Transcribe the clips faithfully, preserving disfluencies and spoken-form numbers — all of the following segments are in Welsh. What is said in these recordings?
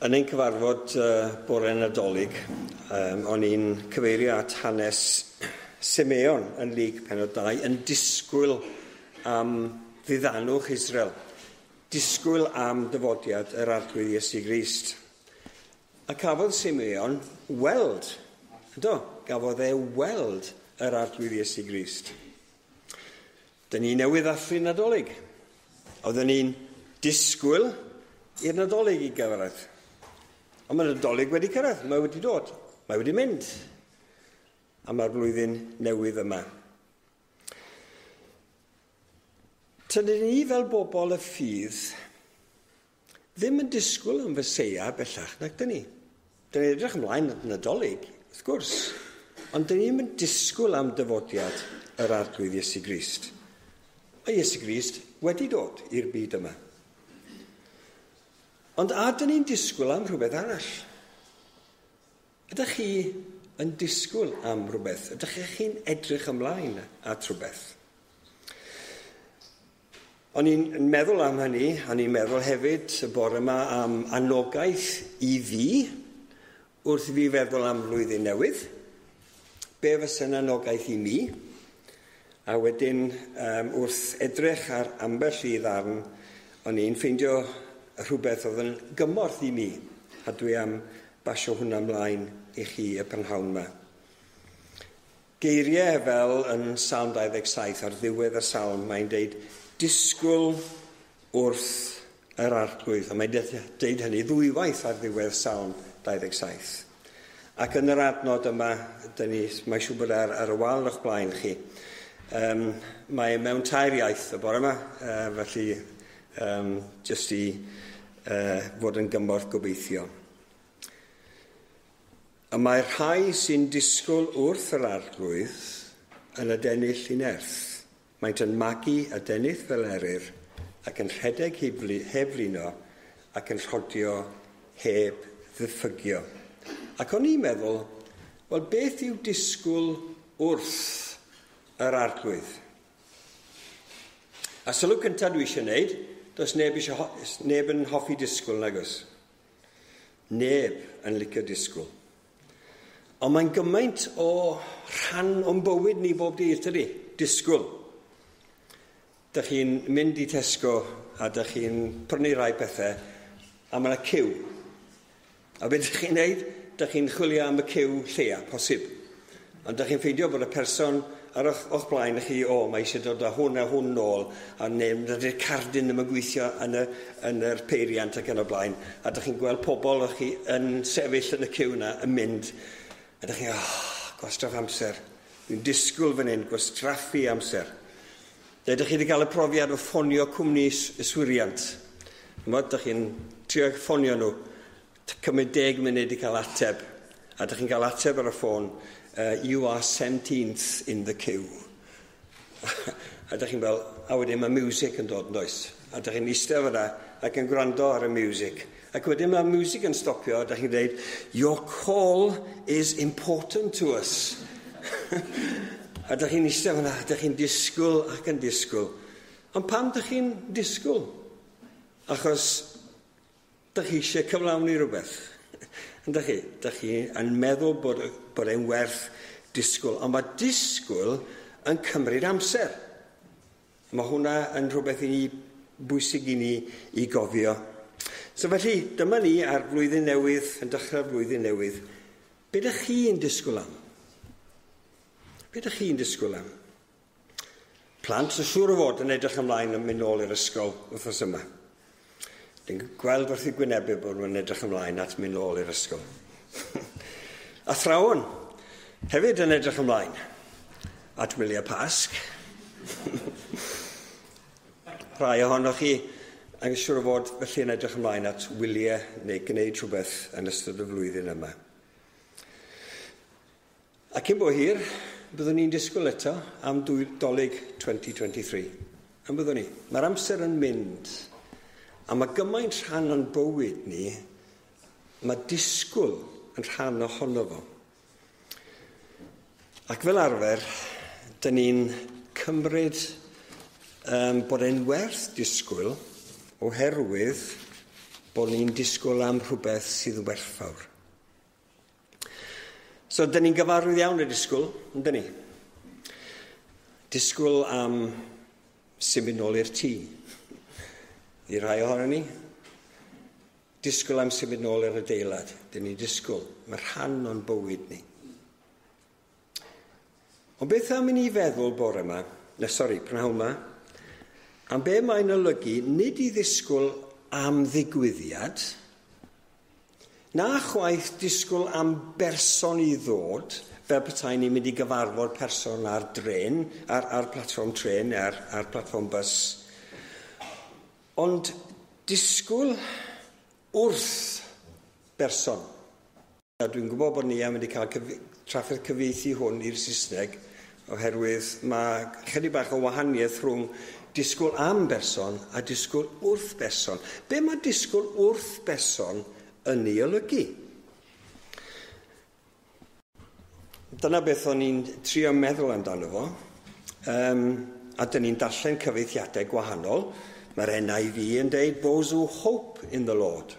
Yn ein cyfarfod uh, bore Nadolig, um, o'n i'n cyfeirio at hanes Simeon yn Luc pennod dau, yn disgwyl am ddiddanwch Israel, disgwyl am dyfodiad yr Arglwydd Iesu Grist. A cafodd Simeon weld, yndo, gafodd e weld yr Arglwydd Iesu Grist. Dyn ni newydd ddathlu Nadolig. Oedden ni'n disgwyl i'r Nadolig i gyrraedd. Ond mae'r Nadolig wedi cyrraedd, mae wedi dod, mae wedi mynd. A mae'r blwyddyn newydd yma. Tydyn ni fel bobl y ffydd ddim yn disgwyl am Feseia bellach, nac dyn ni. Dyn ni'n edrych ymlaen at Nadolig, wrth gwrs. Ond dyn ni'n disgwyl am dyfodiad yr Arglwydd Iesu Grist. Mae Iesu Grist wedi dod i'r byd yma. Ond a dyn ni'n disgwyl am rhywbeth arall? Ydych chi yn disgwyl am rhywbeth? Ydych chi'n edrych ymlaen at rhywbeth? O'n i'n meddwl am hynny, o'n i'n meddwl hefyd y bore yma am anogaeth i fi, wrth i fi feddwl am flwyddyn newydd. Be fysa'n anogaeth i mi? A wedyn, um, wrth edrych ar ambell i ddarn, o'n i'n ffeindio rhywbeth oedd yn gymorth i mi, a dwi am basio hwnna ymlaen i chi y prynhawn yma. Geiriau fel yn Salm dau ddeg saith, ar ddiwedd y salm, mae'n deud, disgwyl wrth yr Arglwydd. A mae'n deud hynny ddwywaith ar ddiwedd Salm dau ddeg saith. Ac yn yr adnod yma, dyn ni, mae'n siŵr bod ar, ar y wal o'ch blaen chi, um, mae mewn tair iaith y bore yma, uh, felly um, jyst i uh, fod yn gymorth gobeithio. A mae'r rhai sy'n disgwyl wrth yr Arglwydd yn adennill i nerth. Maent yn magu adennill fel eryr ac yn rhedeg heb flino ac yn rhodio heb ddiffygio. Ac o'n i'n meddwl, wel beth yw disgwyl wrth yr Arglwydd? A sylw cyntaf dwi eisiau gwneud, does neb, eisiau, neb yn hoffi disgwyl, nag oes? Neb yn licio disgwyl. Ond mae'n gymaint o rhan o'n bywyd ni bob dydd, tydi? Disgwyl. Dych chi'n mynd i Tesco a dych chi'n prynu rai pethau a mae yna ciw. A beth dych chi'n neud? Dych chi'n chwilio am y ciw lleia, posib. Ond dych chi'n ffeindio bod y person ar o'ch, o'ch blaen chi, o, mae eisiau dod â hwn a hwn nôl, a neu dydy'r cardyn ddim yn gweithio yn, y, yn yr peiriant ac yn y blaen. A dych chi'n gweld pobl o'ch chi yn sefyll yn y ciw yna yn mynd, a dych chi'n, oh, gwastraff amser. Dwi'n disgwyl fan hyn, gwastraffu amser. Dych chi wedi cael y profiad o ffonio cwmni yswiriant. Chimod, dych chi'n trio ffonio nhw, cymryd deg munud i cael ateb. A dych chi'n cael ateb ar y ffôn, uh, you are seventeenth in the queue. A dych chi'n fel, a wedyn mae music yn dod yn does. A dych chi'n eistedd fyna ac yn gwrando ar y music. Ac wedyn mae music yn stopio, a dych chi'n dweud, your call is important to us. A dych chi'n eistedd fyna, dych chi'n disgwyl ac yn disgwyl. Ond pam dych chi'n disgwyl? Achos dych chi eisiau cyflawni rhywbeth. Yndych chi? Dych chi yn meddwl bod, bod e'n werth disgwyl. Ond mae disgwyl yn cymryd amser. Mae hwnna yn rhywbeth i ni bwysig i ni i gofio. So felly, dyma ni ar flwyddyn newydd, yn dechrau'r flwyddyn newydd. Be dych chi'n disgwyl am? Be dych chi'n disgwyl am? Plant yn siŵr o fod yn edrych ymlaen yn mynd nôl i'r ysgol wythnos yma. Dwi'n gweld wrth i gwynebu bod nhw'n edrych ymlaen at mynd nôl i'r ysgol. Athrawon hefyd yn edrych ymlaen at wyliau Pasg. Rhai ohonoch chi yn siŵr o fod felly yn edrych ymlaen at wyliau neu gwneud rhywbeth yn ystod y flwyddyn yma. A cyn bo hir, byddwn ni'n disgwyl eto am Dolig twenty twenty-three. Yn byddwn ni. Mae'r amser yn mynd. A mae gymaint rhan o'n bywyd ni, mae disgwyl yn rhan ohono fo. Ac fel arfer, dyn ni'n cymryd um, bod e'n werth disgwyl oherwydd bod ni'n disgwyl am rhywbeth sydd yn werthfawr. So, dyn ni'n gyfarwydd iawn y disgwyl, yndyn ni? Disgwyl am symud nôl i'r tŷ. I rai ohono ni. Disgwyl am symud nôl i'r adeilad. Dyn ni'n disgwyl. Mae rhan o'n bywyd ni. Ond beth am i ni feddwl bore yma, na sori, prynhawn yma, am be mae'n olygu nid i ddisgwyl am ddigwyddiad, na chwaith disgwyl am berson i ddod, fel petai ni'n mynd i gyfarfod person ar dren, ar, ar platfform tren, ar, ar platfform bus. Ond disgwyl wrth berson. A dwi'n gwybod bod ni am wedi cael cyf trafferth cyfieithu hwn i'r Saesneg, oherwydd mae chydig bach o wahaniaeth rhwng disgwyl am berson a disgwyl wrth berson. Be mae disgwyl wrth berson yn ei olygu? Dyna beth o'n i'n trio meddwl amdano fo. Um, a dyn ni'n darllen cyfieithiadau gwahanol. Mae'r N I V yn deud, "Those who hope in the Lord."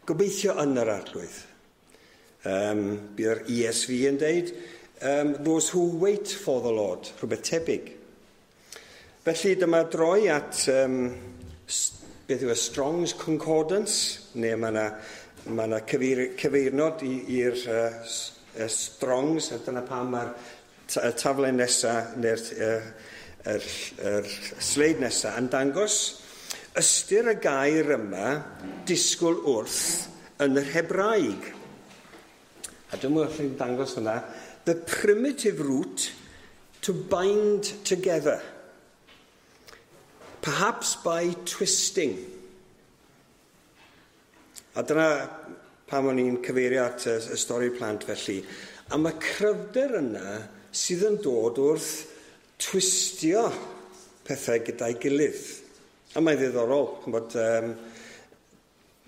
Gobeithio yn yr Arglwydd. Um, bydd E S V yn deud, um, "Those who wait for the Lord." Rhywbeth tebyg. Felly dyma droi at um, beth yw y Strong's Concordance, neu mae yna ma yna cyfeir, cyfeirnod i'r uh, Strongs, a dyna pam mae'r taflen nesaf, neu'r uh, er, er sleid nesaf, yn dangos ystyr y gair yma, disgwyl wrth, yn yr Hebraeg. A dyma wrth i'n dangos hwnna, the primitive root to bind together, perhaps by twisting. A dyna pam o'n i'n cyfeirio at y, y stori plant felly. A mae cryfder yna sydd yn dod wrth twistio pethau gyda'i gilydd. A mae'n ddiddorol, bod um,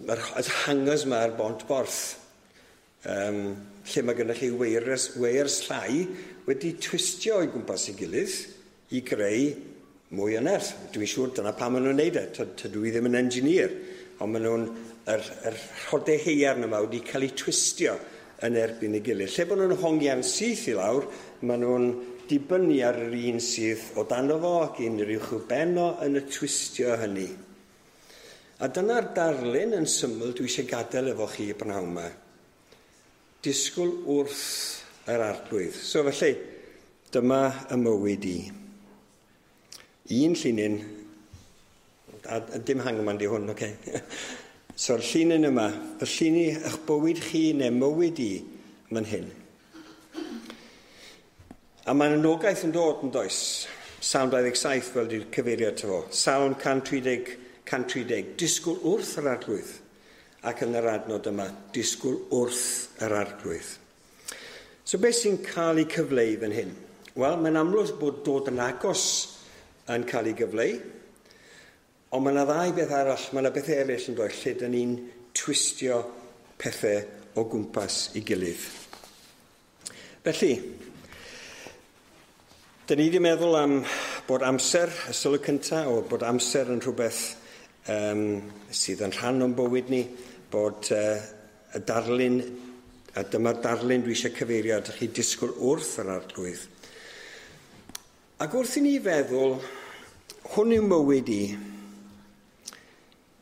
mae'r hangers yma ar bont borth, um, lle mae gennych chi weirs, weirs llai wedi twistio o'i gwmpas ei gilydd i greu mwy o nerth. Dwi'n siŵr dyna pam maen nhw'n neud e. Tydw i ddim yn engineer, ond maen nhw'n yr, yr rhodau haearn yma wedi cael eu twistio yn erbyn ei gilydd. Lle bod nhw'n hongian syth i lawr, maen nhw'n dibynnu ar yr un sydd o dano fo ac un yr uwch ben o yn y twistio hynny. A dyna'r darlun yn syml dwi eisiau gadael efo chi brynhawn yma. Disgwyl wrth yr Arglwydd. So felly, dyma y mywyd i. Un llinyn, a, a dim hangman di hwn, oce. Okay. So'r llinyn yma, fy llun i eich bywyd chi neu mywyd i, man hyn. A mae'n anogaeth yn dod yn does. Salm dau ddeg saith fel di'r cyfeiriad fo. Salm cant tri deg, cant tri deg. Disgwyl wrth yr Arglwydd. Ac yn yr adnod yma, disgwyl wrth yr Arglwydd. So beth sy'n cael ei cyfleu fan hyn? Wel, mae'n amlwg bod dod yn agos yn cael ei gyfleu, ond mae yna ddau beth arall, mae yna beth eraill yn dod lle dyn ni'n twistio pethau o gwmpas ei gilydd. Felly, dyn ni wedi meddwl am bod amser, y sylw cyntaf, o bod amser yn rhywbeth um, sydd yn rhan o'n bywyd ni, bod uh, y darlun, a dyma'r darlun dwi eisiau cyfeirio at chi, disgwyl wrth yr Arglwydd. Ac wrth i ni feddwl, hwn yw mywyd i,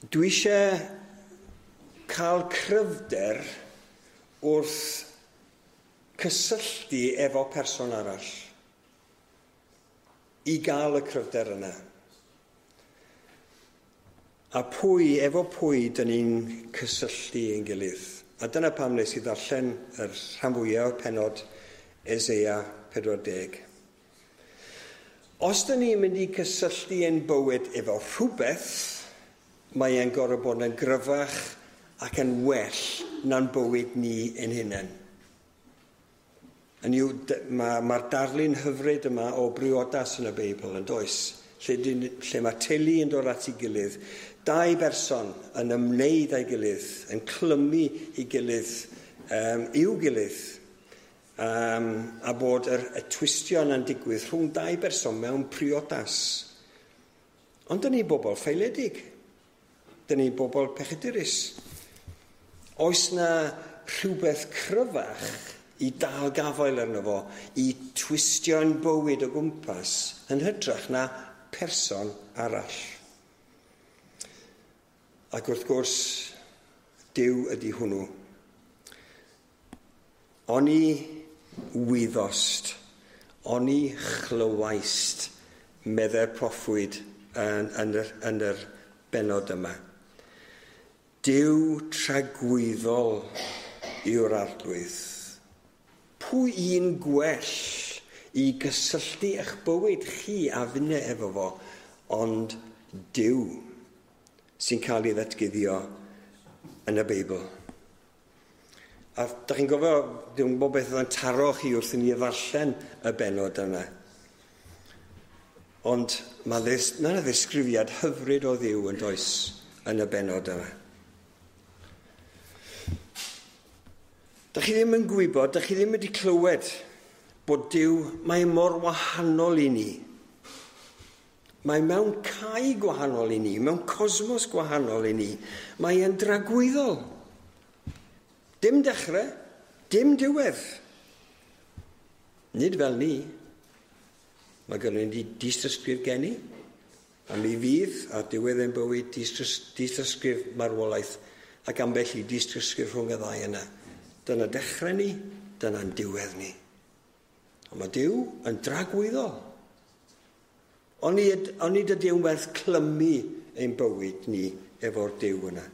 dwi eisiau cael cryfder wrth cysylltu efo person arall i gael y cryfder yna. A pwy, efo pwy, dyn ni'n cysylltu ein gilydd. A dyna pam nes i ddarllen yr rhan fwyaf o'r penod Eseia pedwar deg. Os dyn ni'n mynd i cysylltu ein bywyd efo rhywbeth, mae e'n gorfod bod yn gryfach ac yn well na'n bywyd ni ein hunain. Yn yw, mae'r ma darlun hyfryd yma o briodas yn y Beibl yn does, lle, dyn, lle mae teulu yn dod at ei gilydd, dau berson yn ymwneud â'i gilydd, yn clymu ei gilydd, um, i'w gilydd, um, a bod yr, y twistio yna'n digwydd rhwng dau berson mewn priodas. Ond dyn ni bobl ffaeledig. Dyn ni'n bobl pechadurus. Oes na rhywbeth cryfach i dal gafael arno fo, i twistio'n bywyd o gwmpas yn hytrach na person arall? Ac wrth gwrs, Duw ydy hwnnw. Oni wyddost, oni chlywaist, meddai'r proffwyd yn, yn, yr, yn yr bennod yma. Duw tragwyddol yw'r Arglwydd. Pwy un gwell i gysylltu eich bywyd chi a finne efo fo, ond Duw sy'n cael ei ddatguddio yn y Beibl. A da chi'n gofio, dwi'n gwybod beth oedd yn taro chi wrth i ni ddarllen y bennod yna. Ond mae yna ddisgrifiad hyfryd o Dduw yn does yn y bennod yma. Da chi ddim yn gwybod, da chi ddim wedi clywed bod Duw, mae mor wahanol i ni. Mae mewn cae gwahanol i ni, mewn cosmos gwahanol i ni. Mae e'n dragwyddol. Dim dechrau, dim diwedd. Nid fel ni. Mae gynnon ni dystysgrif geni, a mi fydd ar diwedd ein bywyd dystysgrif marwolaeth ac ambell i dystysgrif rhwng y ddau yna. Dyna dechrau ni, dyna'n diwedd ni. Ond mae Duw yn dragwyddol. Onid, onid ydy yn werth clymu ein bywyd ni efo'r Duw yna.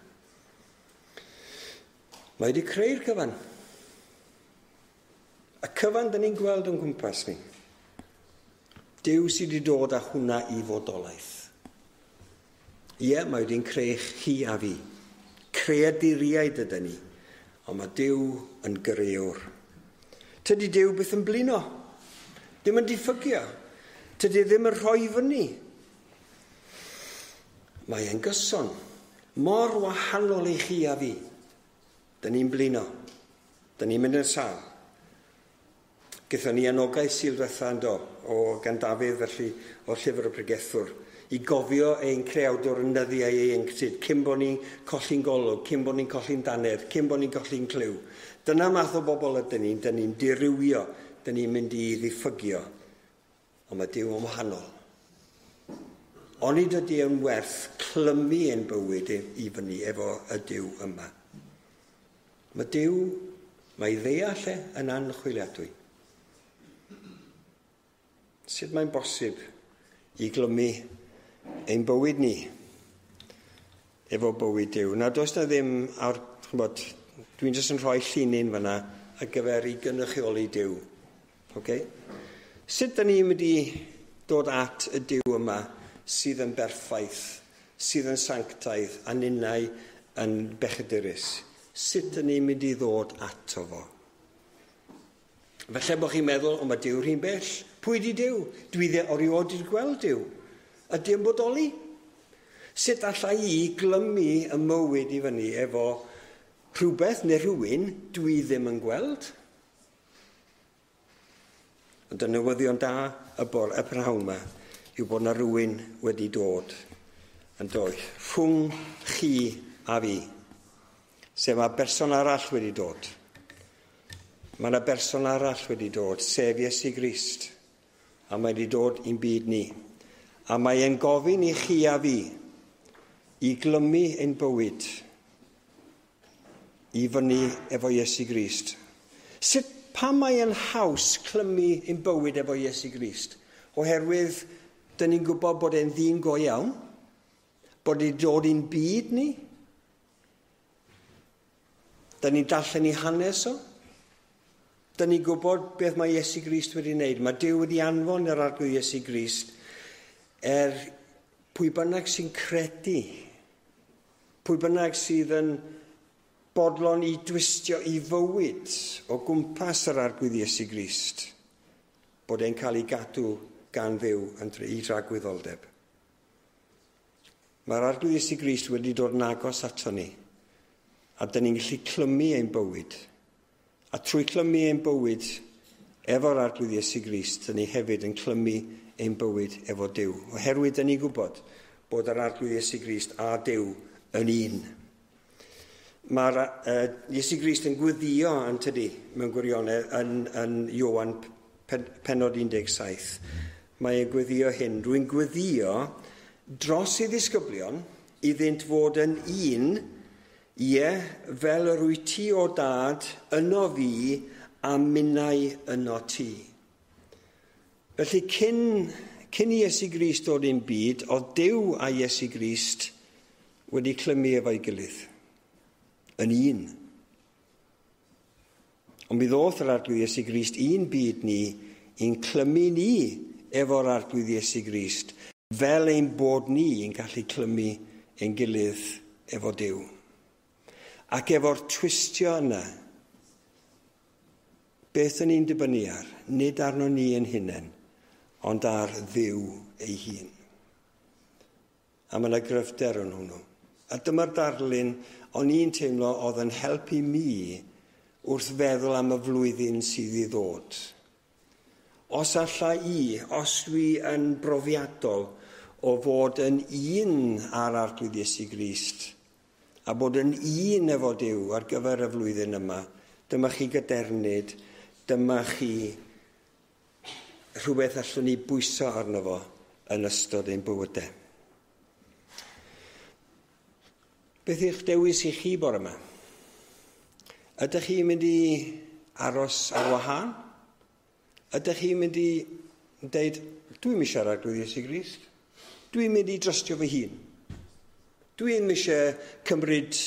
Mae wedi creu'r cyfan. Y cyfan dyn ni'n gweld o'n gwmpas ni. Duw sydd wedi dod â hwnna i fodolaeth. Ie, mae wedi'n creu chi a fi. Creaduriaid ydyn ni. Ond mae Duw yn grëwr. Tydi Duw byth yn blino. Ddim yn diffygio. Tydi ddim yn rhoi fyny. Mae e'n gyson. Mor wahanol i chi a fi. Dyn ni'n blino. Dyn ni'n mynd yn sâl. Gaethon ni anogaeth Sul diwetha yn do, o gan Dafydd felly o'r llyfr y pregethwr, i gofio ein creawdwr yn nyddiau ieuenctid, cyn bod ni'n colli'n golwg, cyn bod ni'n colli'n dannedd, cyn bod ni'n colli'n clyw. Dyna math o bobl ydyn ni, dyn ni'n dirywio, dyn ni'n mynd i ddiffygio. Ond mae Duw yn wahanol. Onid ydy yn werth clymu ein bywyd i fyny efo y Duw yma. Mae Duw, mae ddeall e yn anchwiliadwy. Sut mae'n bosib i glymu ein bywyd ni efo bywyd Duw? Na, does na ddim, ar, ch'mbod, dwi'n jyst yn rhoi llinyn fyna ar gyfer i gynrychioli Duw. Okay? Sut da ni'n mynd i dod at y Duw yma sydd yn berffaith, sydd yn sanctaidd, a ninnau yn bechadurus? Sut da ni'n mynd i ddod ato fo? Falle bod chi'n meddwl, o, mae Duw rhy'n bell. Pwy di Duw? Dwi dde erioed wedi gweld Duw. Ydy yn bodoli? Sut allai i glymu y mywyd i fyny efo rhywbeth neu rhywun dwi ddim yn gweld? Ond y newyddion da y bore y prynhawn yma yw bod na rhywun wedi dod yn dod rhwng chi a fi. Sef mae berson arall wedi dod. Mae yna berson arall wedi dod, sef Iesu Grist. A mae wedi dod i'n byd ni. A mae e'n gofyn i chi a fi i glymu ein bywyd i fyny efo Iesu Grist. Sut, pam mae e'n haws clymu ein bywyd efo Iesu Grist? Oherwydd, dyn ni'n gwybod bod e'n ddyn go iawn, bod e'n dod i'n byd ni. Dyn ni'n darllen ei hanes o. Dyn ni'n gwybod beth mae Iesu Grist wedi wneud. Mae Duw wedi anfon yr Arglwydd Iesu Grist er pwy bynnag sy'n credu, pwy bynnag sydd yn bodlon i dwistio i fywyd o gwmpas yr Arglwydd Iesu Grist, bod e'n cael ei gadw gan Dduw yn i dragwyddoldeb. Mae'r Arglwydd Iesu Grist wedi dod yn agos ato ni, a dyn ni'n gallu clymu ein bywyd. A trwy clymu ein bywyd efo'r Arglwydd Iesu Grist, dyn ni hefyd yn clymu ein bywyd efo Duw. Oherwydd dyn ni'n gwybod bod yr Arglwydd Iesu Grist a Duw yn un. Mae'r uh, Iesu Grist yn gweddio yn tydi mewn gwirionedd yn, yn Ioan pen, pennod un deg saith. Mae e'n gweddio hyn. Rwy'n gweddio dros ei ddisgyblion iddynt fod yn un, ie, fel yr wyt ti o dad yno fi a minnau yno ti. Felly cyn, cyn i Iesu Grist dod i'n byd, oedd Duw a Iesu Grist wedi clymu efo'i gilydd. Yn un. Ond mi ddoth yr Arglwydd Iesu Grist i'n byd ni, i'n clymu ni efo'r Arglwydd Iesu Grist, fel ein bod ni yn gallu clymu ein gilydd efo Duw. Ac efo'r twistio yna, beth yn ni'n dibynnu ar? Nid arno ni yn hunain, ond ar Dduw ei hun. A mae yna gryfder yn hwnnw. A dyma'r darlun o'n i'n teimlo oedd yn helpu mi wrth feddwl am y flwyddyn sydd i ddod. Os alla i, os dwi yn brofiadol o fod yn un ar Arglwydd Iesu Grist, a bod yn un efo Duw ar gyfer y flwyddyn yma, dyma chi gadernid, dyma chi rhywbeth allwn ni bwyso arno fo yn ystod ein bywydau. Beth yw'ch dewis i chi bore yma? Ydych chi'n mynd i aros ar wahân? Ydych chi'n mynd i dweud, dwi'n mynd siarad Arglwydd Iesu Grist? Dwi'n mynd i drystio fy hun. Dwi'n eisiau cymryd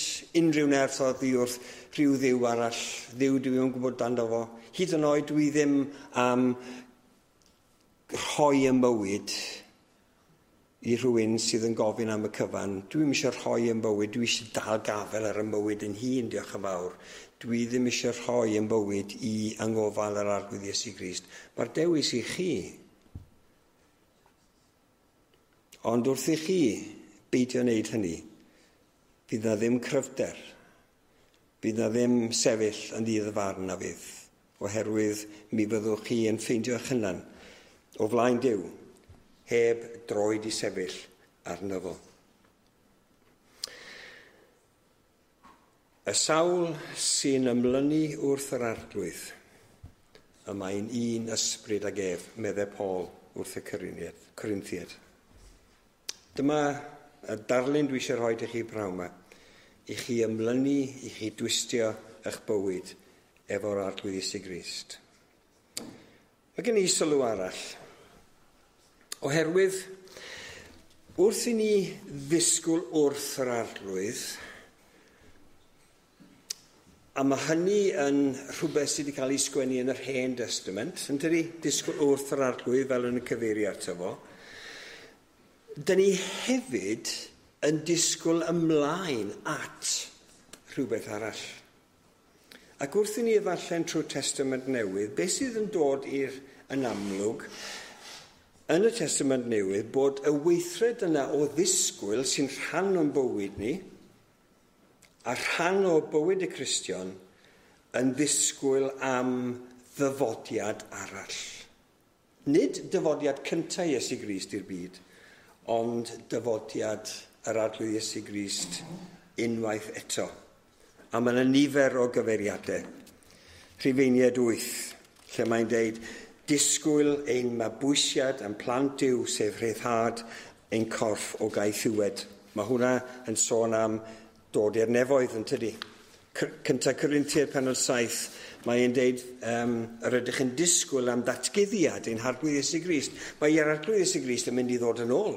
unrhyw nerth oddi wrth rhyw ddiw arall, ddiw dwi ddim yn gwybod dando fo. Hyd yn oed dwi ddim am rhoi y mywyd i rhywun sydd yn gofyn am y cyfan. Dwi'm eisiau rhoi yn bywyd, dwi eisiau dal gafel ar y mywyd yn hun, diolch yn fawr. Dwi ddim eisiau rhoi yn bywyd i angofal yr Arglwydd Iesu Grist. Mae'r dewis i chi. Ond wrth i chi beidio wneud hynny, fydd na ddim cryfder, fydd na ddim sefyll yn ddydd y farn na fydd, oherwydd mi fyddwch chi yn ffeindio eich hunan o flaen Duw, heb droed i sefyll arno fo. Y sawl sy'n ymlynu wrth yr Arglwydd, y mae'n un ysbryd ag ef, meddai Paul wrth y Corinthiaid. Dyma y darlun dwi eisiau rhoi i chi prawn yma, i chi ymlynu, i chi dwistio eich bywyd efo'r Arglwydd Iesu Grist. Mae gen i sylw arall. Oherwydd, wrth i ni ddisgwyl wrth yr Arglwydd, a mae hynny yn rhywbeth sydd wedi cael ei sgwennu yn yr Hen Testament, yn tydi? Disgwyl wrth yr Arglwydd fel yn y cyfeirio ato fo. Dyn ni hefyd yn disgwyl ymlaen at rhywbeth arall. Ac wrth i ni ddarllen trwy'r Testament Newydd, beth sydd yn dod i'r yn amlwg yn y Testament Newydd bod y weithred yna o ddisgwyl sy'n rhan o'n bywyd ni a rhan o bywyd y Cristion yn ddisgwyl am ddyfodiad arall. Nid dyfodiad cyntaf Iesu Grist i'r byd, ond dyfodiad yr Arglwydd Iesu Grist unwaith eto. A mae yna nifer o gyfeiriadau. Rhufeiniaid wyth, lle mae'n deud, disgwyl ein mabwysiad yn plant Duw, sef rhyddhad ein corff o gaethiwed. Mae hwnna yn sôn am dod i'r nefoedd yn tydi. Cyntaf Corinthiaid pennod saith, mae'n deud um, yr ydych yn disgwyl am ddatguddiad ein Harglwydd Iesu Grist. Mae yr Arglwydd Iesu Grist yn mynd i ddod yn ôl.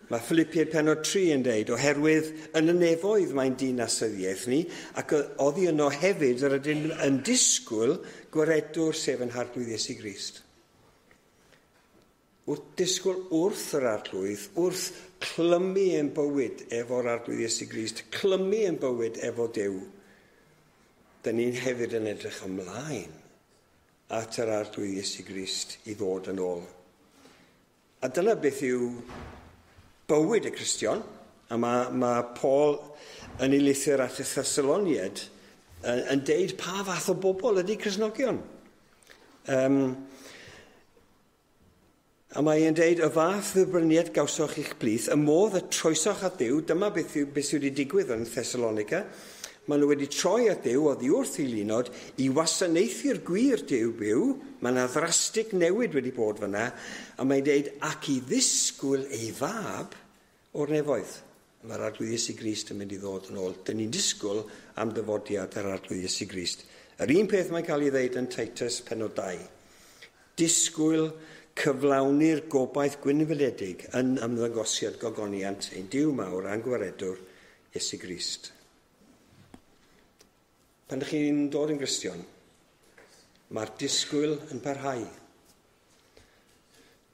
Mae Philippiaid pennod tri yn deud, oherwydd yn y nefoedd mae'n dinasyddiaeth ni, ac oddi yno hefyd yr ydym yn disgwyl gwaredwr sef yn Harglwydd Iesu Grist. Wrth disgwyl wrth yr Arglwydd, wrth clymu ein bywyd efo'r Arglwydd Iesu Grist, clymu ein bywyd efo Duw, dyn ni'n hefyd yn edrych ymlaen at yr Arglwydd Iesu Grist i ddod yn ôl. A dyna beth yw bywyd y Cristion, a mae, mae Paul yn ei lythyr at y Thessaloniaid yn, yn deud pa fath o bobl ydy Cristnogion. Um, A mae e'n deud, y fath dderbyniad gawsoch i'ch plith, y modd y troesoch at Dduw, dyma beth, yw, beth sydd wedi digwydd yn Thessalonica, maen nhw wedi troi at Dduw oddi wrth eilunod i wasanaethu'r gwir Duw byw, mae yna ddrastig newid wedi bod fyna, a mae'n deud, ac i ddisgwyl ei fab o'r nefoedd. Mae'r Arglwydd Iesu Grist yn mynd i ddod yn ôl. Dyn ni'n disgwyl am dyfodiad yr Arglwydd Iesu Grist. Yr un peth mae'n cael ei ddeud yn Titus pennod dau. Disgwyl cyflawni'r gobaith gwynfydedig yn ymddangosiad gogoniant ein Duw mawr a'n gwaredwr Iesu Grist. Pan ydych chi'n dod yn Gristion, mae'r disgwyl yn parhau.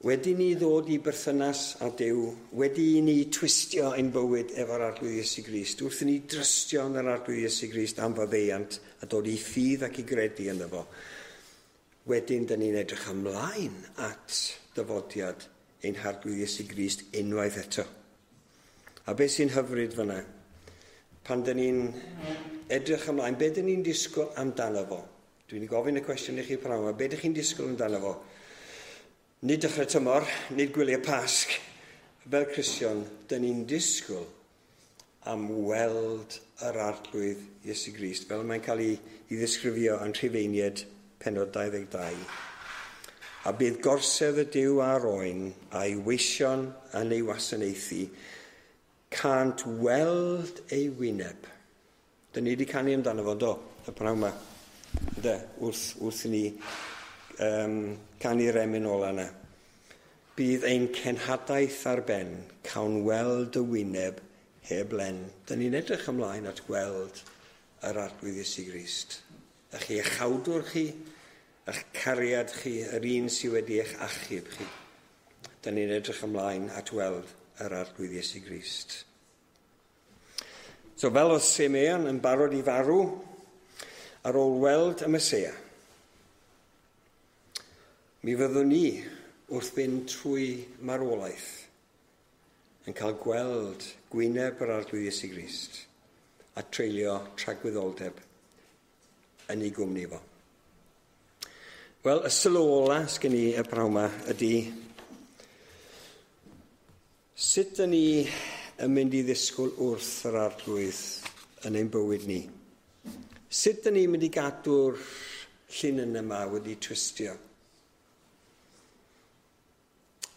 Wedi ni ddod i berthynas â Duw, wedi i ni twistio ein bywyd efo'r Arglwydd Iesu Grist, wrth i ni drystio yn yr Arglwydd Iesu Grist am faddeuant a dod i ffydd ac i gredu ynddo fo, wedyn dyn ni'n edrych ymlaen at dyfodiad ein Harglwydd Iesu Grist unwaith eto. A beth sy'n hyfryd fyna? Pan dyn ni'n edrych ymlaen, be dyn ni'n disgwyl amdano fo? Dwi'n gofyn y cwestiwn i chi prynhawn yma, be dych chi'n disgwyl amdano fo? Nid dechrau tymor, nid gwyliau Pasg. Fel Cristion, dyn ni'n disgwyl am weld yr Arglwydd Iesu Grist, fel mae'n cael ei, ei ddisgrifio yn Rhufeiniaid pennod dau ddeg dau. A bydd gorsedd y Duw a'r Oen a'i weision yn ei wasanaethu, cânt weld ei wyneb. Dyn ni wedi canu amdano fo, do, y prynhawn yma. De, wrth, wrth i ni um, canu'r emyn ola yna. Bydd ein cenhadaeth ar ben, cawn weld y wyneb heb len. Dyn ni'n edrych ymlaen at gweld yr Arglwydd Iesu Grist. Eich iachawdwr chi, eich cariad chi, yr un sydd wedi eich achub chi. Dyn ni'n edrych ymlaen at weld yr Arglwydd Iesu Grist. So fel oedd Simeon yn barod i farw, ar ôl weld y Meseia, mi fyddwn ni wrth fynd trwy marwolaeth yn cael gweld gwyneb yr Arglwydd Iesu Grist a treulio tragwyddoldeb yn ei gwmni fo. Wel, y sylw ola sgen i y prynhawn yma ydy sut dyn ni yn mynd i ddisgwyl wrth yr Arglwydd yn ein bywyd ni? Sut dyn ni'n mynd i gadw'r llinyn yma wedi twistio?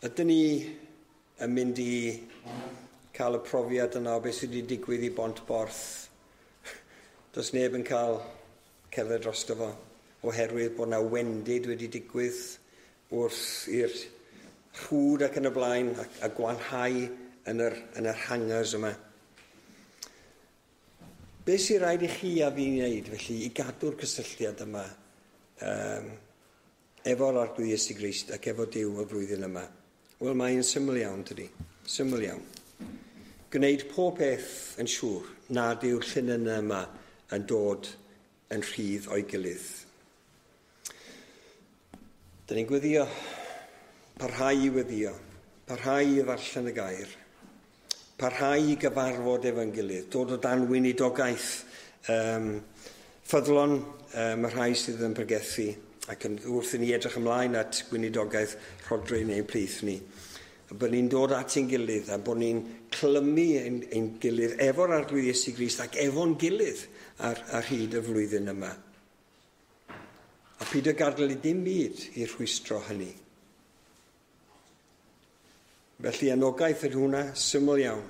Ydyn ni yn mynd i cael y profiad yna o beth sydd wedi digwydd i Bont Borth? Does neb yn cael cerdded drosto fo, oherwydd bod yna wendid wedi digwydd wrth i'r rhwd ac yn y blaen a, a gwanhau yn yr, yn yr hangars yma. Be sy'n rhaid i chi a fi wneud, felly, i gadw'r cysylltiad yma um, efo'r Arglwydd Iesu Grist ac efo Duw y flwyddyn yma? Wel, mae'n syml iawn, tydi? Syml iawn. Gwneud pob peth yn siŵr nad yw'r llinyn yma yn dod yn rhydd o'i gilydd. Dyn ni'n gweddio, parhau i weddio, parhau i ddarllen y gair, parhau i gyfarfod efo'n gilydd, dod o dan weinidogaeth um, ffyddlon um, y rhai sydd yn pregethu, ac yn, wrth i ni edrych ymlaen at gweinidogaeth Rhodri neu'n plith ni. A bod ni'n dod at ein gilydd a bod ni'n clymu ein, ein gilydd efo'r Arglwydd Iesu Grist ac efo'n gilydd ar, ar hyd y flwyddyn yma. A peidio gadael i dim byd i rhwystro hynny. Felly anogaeth yn hwnna, syml iawn,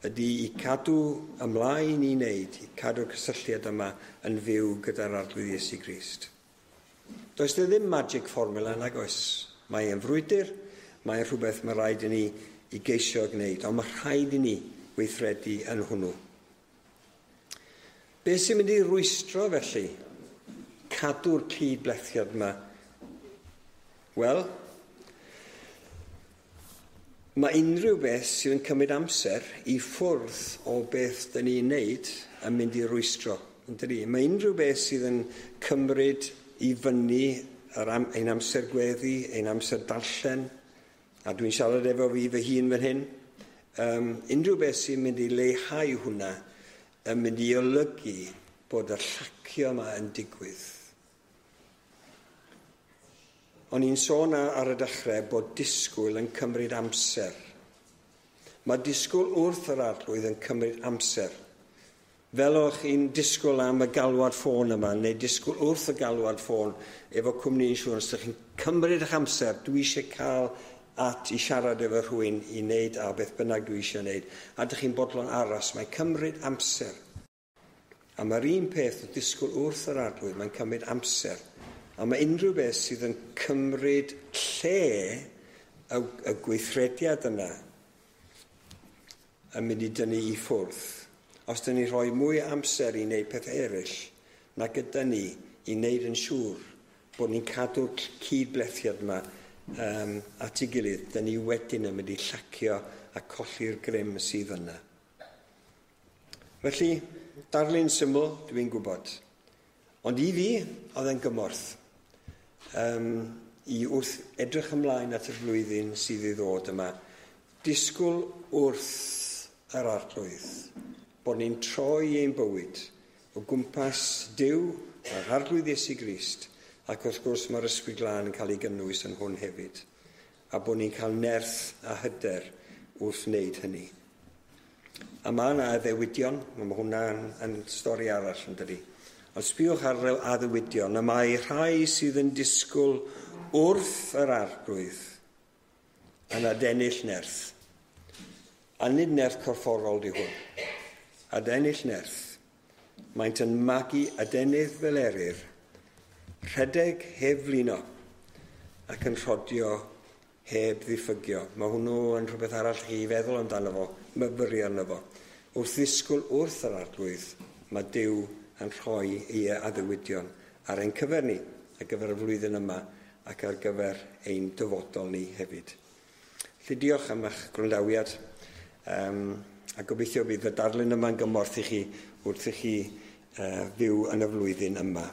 ydy i cadw ymlaen i wneud, i cadw'r cysylltiad yma yn fyw gyda'r Arglwydd Iesu Grist. Does there ddim magic formula nag oes. Mae'n frwydr, mae'n rhywbeth mae rhaid i ni i geisio gwneud, ond mae rhaid i ni weithredu yn hwnnw. Be sy'n mynd i rwystro felly? Cadw'r cyd-blethiad yma? Wel, mae unrhyw beth sydd yn cymryd amser i ffwrdd o beth dyn ni'n neud yn mynd i rwystro. Yndydi? Mae unrhyw beth sydd yn cymryd i fyny yr am, ein amser gweddi, ein amser darllen, a dwi'n siarad efo fi fy hun fan hyn, um, unrhyw beth sy'n mynd i leihau hwnna yn mynd i olygu bod y llacio yma yn digwydd. O'n i'n sôn ar y dechrau bod disgwyl yn cymryd amser. Mae disgwyl wrth yr Arglwydd yn cymryd amser. Fel o'ch chi'n disgwyl am y galwad ffôn yma, neu disgwyl wrth y galwad ffôn efo cwmni insurance, ydych chi'n cymryd eich amser, dwi eisiau cael at i siarad efo rhywun i wneud a beth bynnag dwi eisiau wneud. A ydych chi'n bodlon aros, mae'n cymryd amser. A mae'r un peth o disgwyl wrth yr Arglwydd, mae'n cymryd amser. A mae unrhyw beth sydd yn cymryd lle y, y gweithrediad yna yn mynd i dynnu i ffwrdd. Os dyn ni rhoi mwy o amser i wneud pethau eraill na gyda ni i wneud yn siŵr bod ni'n cadw'r cydblethiad yma um, at ei gilydd, dyn ni wedyn yn mynd i llacio a colli'r grym sydd yna. Felly, darlun syml, dwi'n gwybod. Ond i fi, oedd e'n gymorth. Um, i wrth edrych ymlaen at y flwyddyn sydd i ddod yma. Disgwyl wrth yr Arglwydd, bod ni'n troi ein bywyd o gwmpas Duw a'r Arglwydd Iesu Grist, ac wrth gwrs mae'r Ysbryd Glân yn cael ei gynnwys yn hwn hefyd, a bod ni'n cael nerth a hyder wrth wneud hynny. A mae yna addewidion, mae hwnna'n yn stori arall yn dydi. Ond sbiwch ar addewidion, a mae rhai sydd yn disgwyl wrth yr Arglwydd yn adennill nerth. A nid nerth corfforol di hwn. Adennill nerth. Maent yn magu adenydd fel eryr, rhedeg heb flino ac yn rhodio heb ddiffygio. Mae hwnnw yn rhywbeth arall chi feddwl amdano fo, myfyrio arno fo. Wrth ddisgwyl wrth yr Arglwydd, mae Duw yn rhoi ei addewidion ar ein cyfer ni, ar gyfer y flwyddyn yma ac ar gyfer ein dyfodol ni hefyd. Felly diolch am eich gwrandawiad. Um, a gobeithio bydd y darlun yma'n gymorth i chi wrth i chi uh, fyw yn y flwyddyn yma.